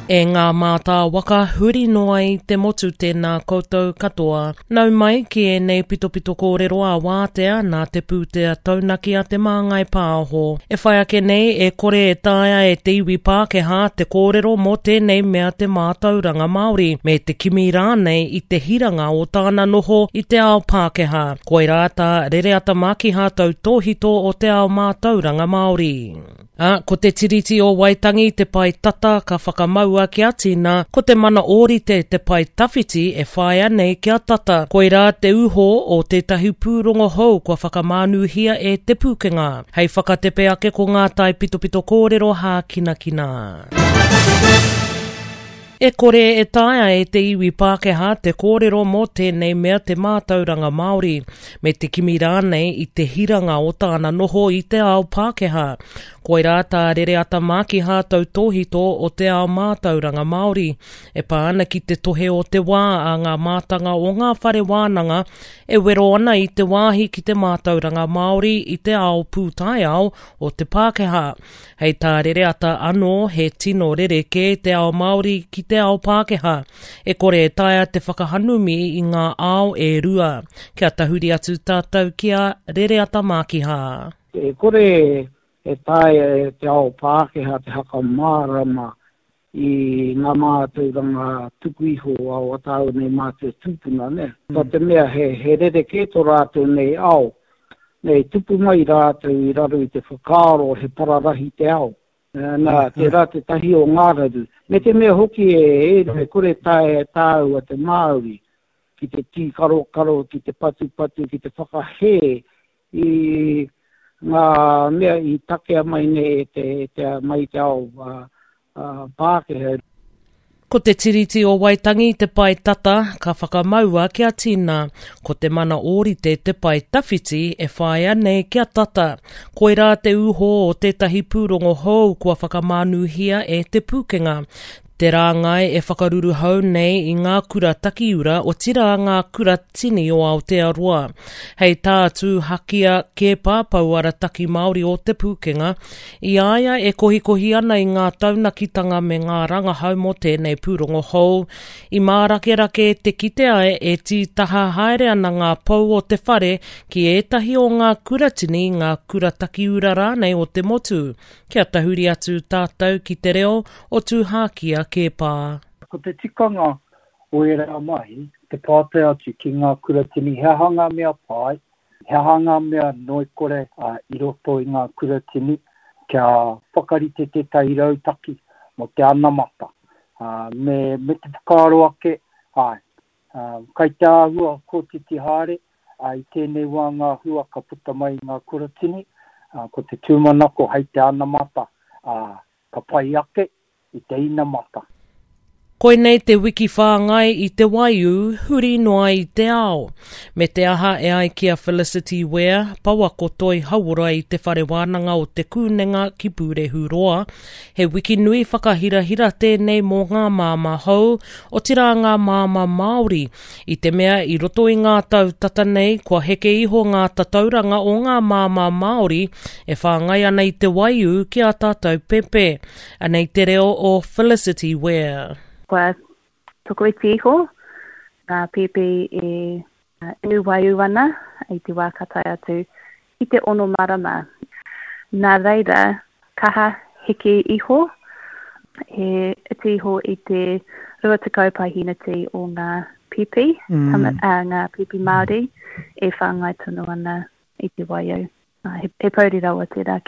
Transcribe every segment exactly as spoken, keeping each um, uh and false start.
E ngā mātā waka huri noa i te motu tēnā koutou katoa. Nau mai ki ēnei pitopito kōrero a wātea nā te pūtea taunaki a Te Māngai Pāho. E whai ake nei e kore e taea e te iwi Pākehā te kōrero mō tēnei mea te mātauranga Māori, me te kimi rānei i te hiranga o tāna noho i te ao Pākehā. Koirā tā Rereata Mākiha tautōhito o te ao mātauranga Māori. Ā, ko te Tiriti o Waitangi te pae tata ka whakamaua kia tina, ko te mana ōrite te pae tawhiti e whāia nei kia tata. Koirā te uho o tētahi pūrongo hou kua whakamānuhia e Te Pūkenga. Hei whakatepe ake ko ngā taipitopito kōrero hākinakina. E kore e taea e te iwi Pākehā te kōrero mō tēnei mea te mātauranga Māori, me te kimi rānei i te hiranga o tāna noho i te ao Pākehā. Koirā tā Rereata Mākiha tautōhito o te ao mātauranga Māori, e pā ana ki te tohe o te wā a ngā mātanga o ngā whare wānanga e wero ana i te wāhi ki te mātauranga Māori i te ao pūtaiao o te Pākehā. Hei tā Rereata anō he tino rerekē te ao Māori ki te ao Pākehā. E kore e taea te whakahanumi i ngā ao e rua. Kia tahuri atu tātou ki a Rereata Mākiha. E kore e taea e te ao Pākehā te whakamārama i ngā mātauranga tuku iho a o tāu nei mātua tūpuna, ne? Mm. Tō te mea he, he rerekē tō rātou nei ao. Nei tupu mai rātou i raro i te whakaaro he pararahi te ao. Nā, tērā tētahi o ngā raru. Me te mea hoki e, e, e kore taea e tāua te Māori ki te tīkarokaro, ki te patupatu, ki te whakahē i ngā mea i takea mai nei e te, e te, mai te ao uh, uh, Pākehā. Ko te Tiriti o Waitangi te pae tata ka whakamaua kia tina. Ko te mana ōrite te pae tawhiti e whāia nei kia tata. Koirā te uho o tētahi pūrongo hou kua whakamānuhia e Te Pūkenga. Te rāngai e whakaruruhau nei i ngā kura takiura otirā ngā kura tini o Aotearoa. Hei tā Tūhakia Keepa Pouarataki Māori o Te Pūkenga, i a ia e kohikohi ana i ngā taunakitanga me ngā rangahau mō tēnei pūrongo hou, i mārakerake te kitea e tītaha haere ana ngā pou o te whare ki ētahi o ngā kuratini, ngā kura takiura rānei o te motu. Kia tahuri atu tātou ki te reo o Tūhakia Keepa. Ko te tikanga o ērā mahi, te pātai atu ki ngā kuratini he aha ngā mea pai, he aha ngā mea noikore uh, i roto i ngā kuratini, kia whakarite tētahi rautaki mō te anamata. Uh, me, me te whakaaro ake, ai, uh, kai te āhua kotiti haere, uh, i tēnei wā ngā hua ka puta mai i ngā kuratini, uh, ko te tūmanako hei te anamata, uh, ka pai ake i te inamata. Koinei te wiki whāngai i te waiū huri noa i te ao. Me te aha e ai ki a Felicity Ware, pouako toi hauora i te whare wānanga o Te Kūnenga ki Pūrehuroa. He wiki nui whakahirahira tēnei mō ngā māmā hou, otirā ngā māmā Māori. I te mea i roto i ngā tau tata nei, kua heke iho ngā tatauranga o ngā māmā Māori e whāngai ana i te waiū ki a tātou pepe. Anei te reo o Felicity Ware. Kua tokoiti iho ngā pēpi e inu waiū ana i te wā ka tae atu i te ono marama. Nā reira, kaha heke iho, he iti iho i te rua tekau paeheneti o ngā pēpi, mm. tama, uh, ngā pēpi Māori e whāngai tonu ana i te waiū. Uh, he, he pouri rawa tērā.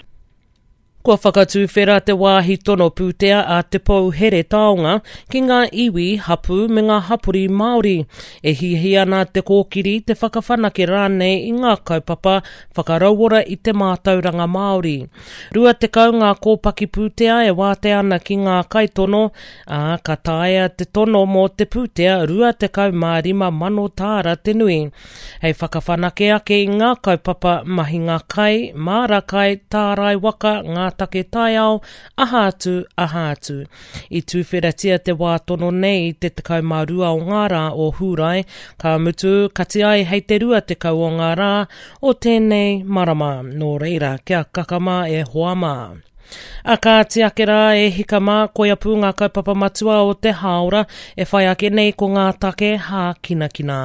Kua whakatuwhera te wāhi tono pūtea a Te Pou Here Taonga ki ngā iwi, hapū me ngā hapori Māori. E hiahia ana te kōkiri, te whakawhanake rānei i ngā kaupapa whakarauora i te mātauranga Māori. Rua tekau ngā kōpaki pūtea e wātea ana ki ngā kaitono, ā, ka taea te tono mō te pūtea rua tekau mā rima mano tāra te nui. Hei whakawhanake ake i ngā kaupapa mahinga kai, māra kai, tārai waka, ngā take taiao, aha atu, aha atu. I tūwheratia te wā tono nei i te tekau mā rua o ngā rā o Hūrae, ka mutu kati ai hei te rua tekau o ngā rā o tēnei marama. Nō reira, kia kakama e hoa mā. A kāti ake rā e hika mā, koia pū ngā kaupapa matua o te hāora e whai ake nei ko ngā take hākinakina.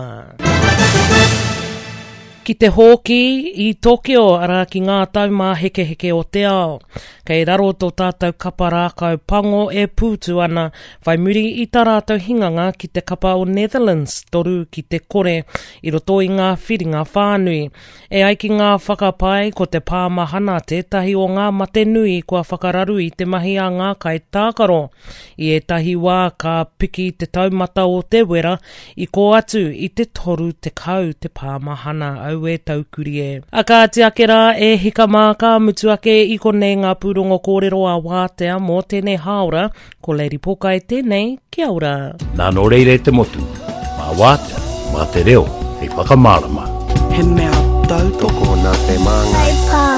Ki te hōki i Tokyo, arā ki ngā taumāhekeheke o te ao. Kei raro tō tātou kapa rākau pango e pūtu ana, whai muri i tā rātou hinganga ki te kapa o Netherlands, toru ki te kore, i roto i ngā whiringa whānui. E ai ki ngā whakapae, ko te pāmahana tētahi o ngā mate nui kua whakararu i te mahi a ngā kaitākaro. I ētahi wā ka piki te taumata o te wera, i kō atu i te toru tekau te pāmahana. Aue taukuri e. A kāti ake rā e hika mā, ka mutu ake i konei ngā pūrongo kōrero a Wātea mō tēnei hāora, ko Lady Pōkai tēnei, kia ora. Nā nō reira e te motu, mā Wātea, mā te reo, hei whakamārama. He mea tautoko Tokona te māngai. Hei pā.